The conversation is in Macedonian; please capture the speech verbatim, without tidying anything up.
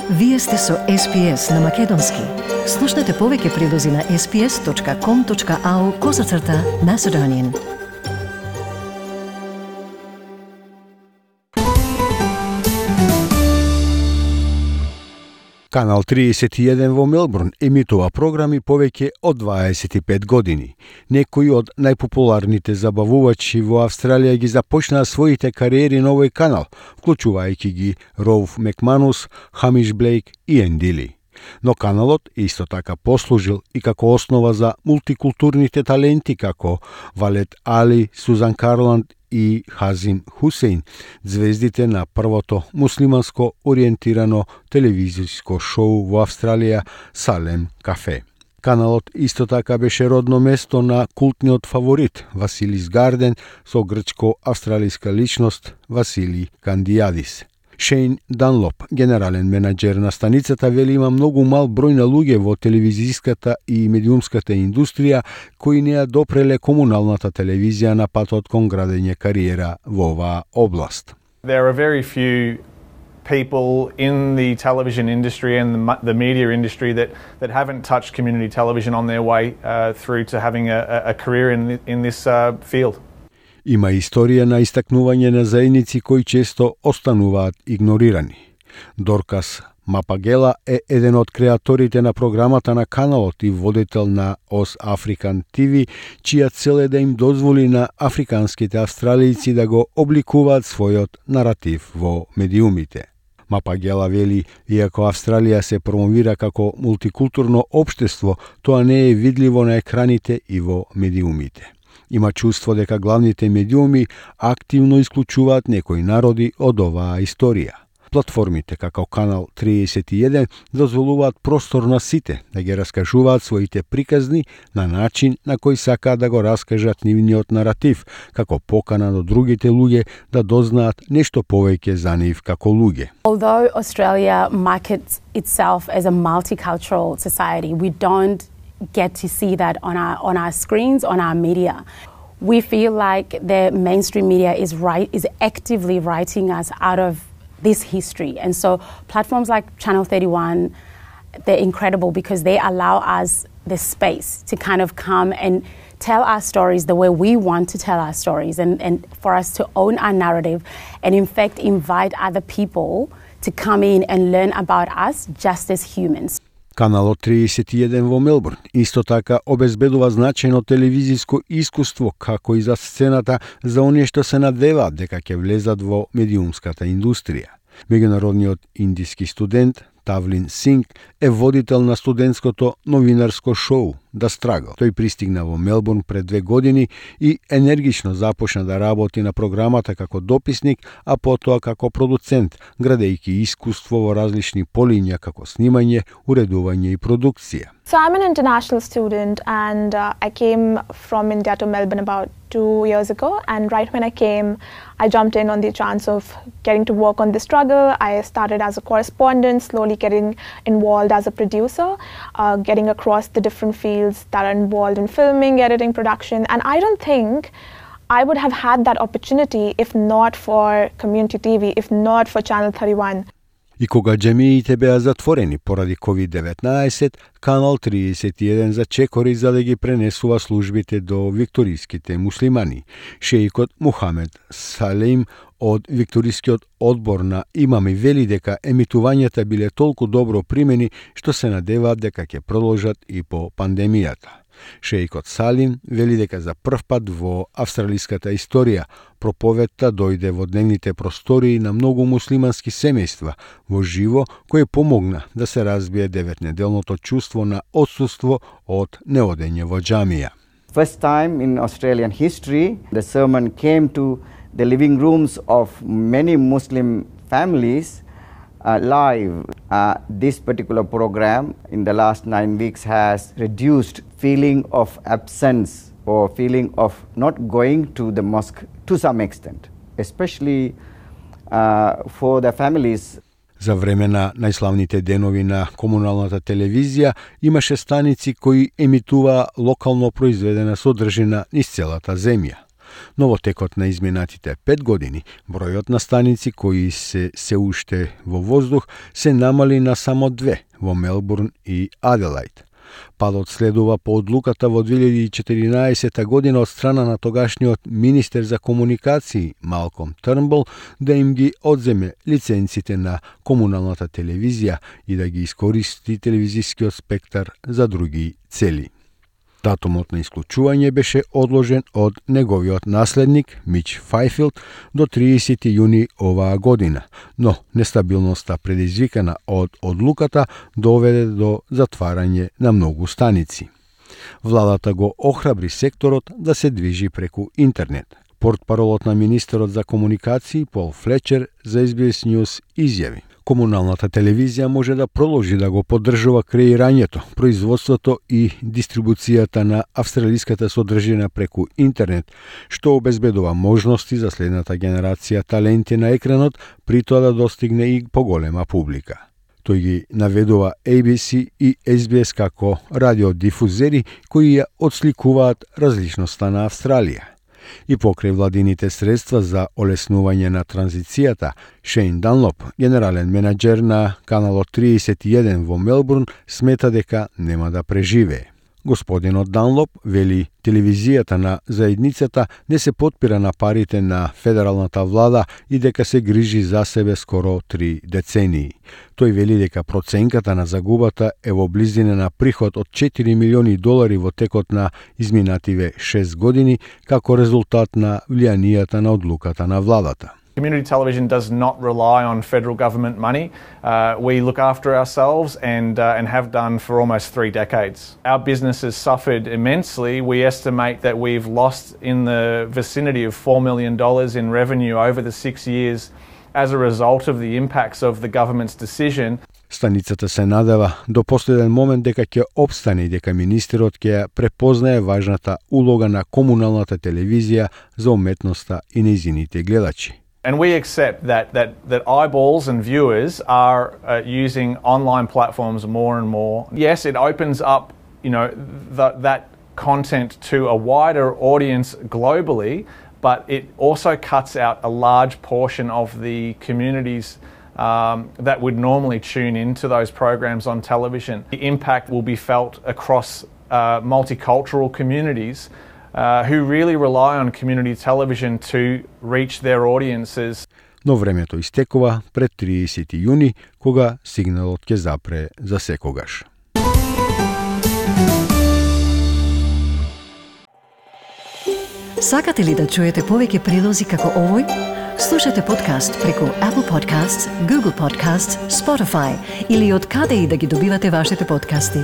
Вие сте со Ес Пи Ес на Македонски. Слушнете повеќе прилози на ес пи ес точка ком точка ау козацрта Macedonian. Канал триесет и еден во Мелбурн емитува програми повеќе од дваесет и пет години. Некои од најпопуларните забавувачи во Австралија ги започнаа своите кариери на овој канал, вклучувајќи ги Роуф Макманус, Хамиш Блейк и Енди Ли. Но каналот исто така послужил и како основа за мултикултурните таленти како Валет Али, Сузан Карланд и Хазим Хусейн, звездите на првото муслиманско ориентирано телевизиско шоу во Австралија Салем Кафе. Каналот исто така беше родно место на култниот фаворит Василис Гарден со грчко-австралиска личност Васили Кандијадис. Шейн Данлоп, генерален менаџер на станицата, вели има многу мал број на луѓе во телевизиската и медиумската индустрија кои не ја допреле комуналната телевизија на патот кон градење кариера во оваа област. There are very few people in the television industry and the, the media industry that, that haven't touched community television on their way uh, through to having a, a career in, in this uh, field. Има историја на истакнување на заедници кои често остануваат игнорирани. Доркас Мапагела е еден од креаторите на програмата на каналот и водител на Ос Африкан Ти Ви, чија цел е да им дозволи на африканските австралијци да го обликуваат својот наратив во медиумите. Мапагела вели, иако Австралија се промовира како мултикултурно општество, тоа не е видливо на екраните и во медиумите. Има чувство дека главните медиуми активно исклучуваат некои народи од оваа историја. Платформите како Канал триесет и еден дозволуваат простор на сите да ги раскажуваат своите приказни на начин на кој сакаат да го раскажат нивниот наратив, како покана до другите луѓе да дознаат нешто повеќе за нив како луѓе. Although Australia markets itself as a multicultural society, we don't get to see that on our on our screens, on our media. We feel like the mainstream media is right is actively writing us out of this history, and so platforms like Channel thirty-one, they're incredible because they allow us the space to kind of come and tell our stories the way we want to tell our stories, and, and for us to own our narrative, and in fact invite other people to come in and learn about us just as humans. Каналот триесет и еден во Мелбурн исто така обезбедува значајно телевизиско искуство како и за сцената за оние што се надеваат дека ќе влезат во медиумската индустрија. Меѓународниот индиски студент Тавлин Синг е водител на студентското новинарско шоу The Struggle. Тој пристигна во Мелбурн пред две години и енергично започна да работи на програмата како дописник, а потоа како продуцент, градејќи искуство во различни полиња како снимање, уредување и продукција. So I'm an international student and uh, I came from India to Melbourne about two years ago, and right when I came, I jumped in on the chance of getting to work on The Struggle. I started as a correspondent, slowly getting involved as a producer, uh, getting across the different fields that are involved in filming, editing, production, and I don't think I would have had that opportunity if not for Community T V, if not for Channel thirty-one. И кога џемиите беа затворени поради ковид деветнаесет, Канал триесет и еден зачекори за да ги пренесува службите до викториските муслимани. Шеикот Мухамед Салим од викторискиот одбор на имами вели дека емитувањата биле толку добро примени што се надеваат дека ќе продолжат и по пандемијата. Шеикот Салим вели дека за прв пат во австралиската историја проповедта дојде во дневните простории на многу муслимански семејства во живо, кој помогна да се разбие деветнеделното чувство на отсуство од неодење во џамија. First time in Australian history, the sermon came to the living rooms of many Muslim families uh, live. Uh, this particular program in the last nine weeks has reduced feeling of absence or feeling of not going to the mosque to some extent, especially uh, for the families. За време на најславните денови на комуналната телевизија имаше станици кои емитуваа локално произведена содржина низ целата земја. Но во текот на изминатите пет години, бројот на станици кои се се уште во воздух се намали на само две во Мелбурн и Аделајд. Падот следува по одлуката во две илјади и четиринаесета година од страна на тогашниот министер за комуникации Малком Трнбул да им ги одземе лиценците на комуналната телевизија и да ги искористи телевизискиот спектар за други цели. Датумот на исклучување беше одложен од неговиот наследник Мич Фајфилд до триесети јуни оваа година, но нестабилноста предизвикана од одлуката доведе до затварање на многу станици. Владата го охрабри секторот да се движи преку интернет. Портпаролот на министерот за комуникации Пол Флечер за Ес Би Ес News изјави: комуналната телевизија може да продолжи да го поддржува креирањето, производството и дистрибуцијата на австралиската содржина преку интернет, што обезбедува можности за следната генерација таленти на екранот, при тоа да достигне и поголема публика. Тој ги наведува Ей Би Си и Ес Би Ес како радиодифузери кои ја отсликуваат различноста на Австралија. И покрај владините средства за олеснување на транзицијата, Шейн Данлоп, генерален менаџер на каналот триесет и еден во Мелбурн, смета дека нема да преживее. Господинот Данлоп вели телевизијата на заедницата не се потпира на парите на федералната влада и дека се грижи за себе скоро три децении. Тој вели дека проценката на загубата е во близина на приход од четири милиони долари во текот на изминативе шест години како резултат на влијанијата на одлуката на владата. Community television does not rely on federal government money. Uh, we look after ourselves and, uh, and have done for almost three decades. Our business has suffered immensely. We estimate that we've lost in the vicinity of four million dollars in revenue over the six years as a result of the impacts of the government's decision. Станицата се надева до последен момент дека ќе опстане и дека министерот ќе препознае важната улога на комуналната телевизија за уметноста и нејзините гледачи. And we accept that, that, that eyeballs and viewers are uh, using online platforms more and more. Yes, it opens up, you know, the, that content to a wider audience globally, but it also cuts out a large portion of the communities um, that would normally tune into those programs on television. The impact will be felt across uh, multicultural communities Uh, who really rely on community television to reach their audiences. Но времето истекува пред триесети јуни, кога сигналот ќе запре за секогаш. Сакате ли да чуете повеќе прилози како овој? Слушате подкаст преку Apple Podcasts, Google Podcasts, Spotify или од каде и да ги добивате вашите подкасти.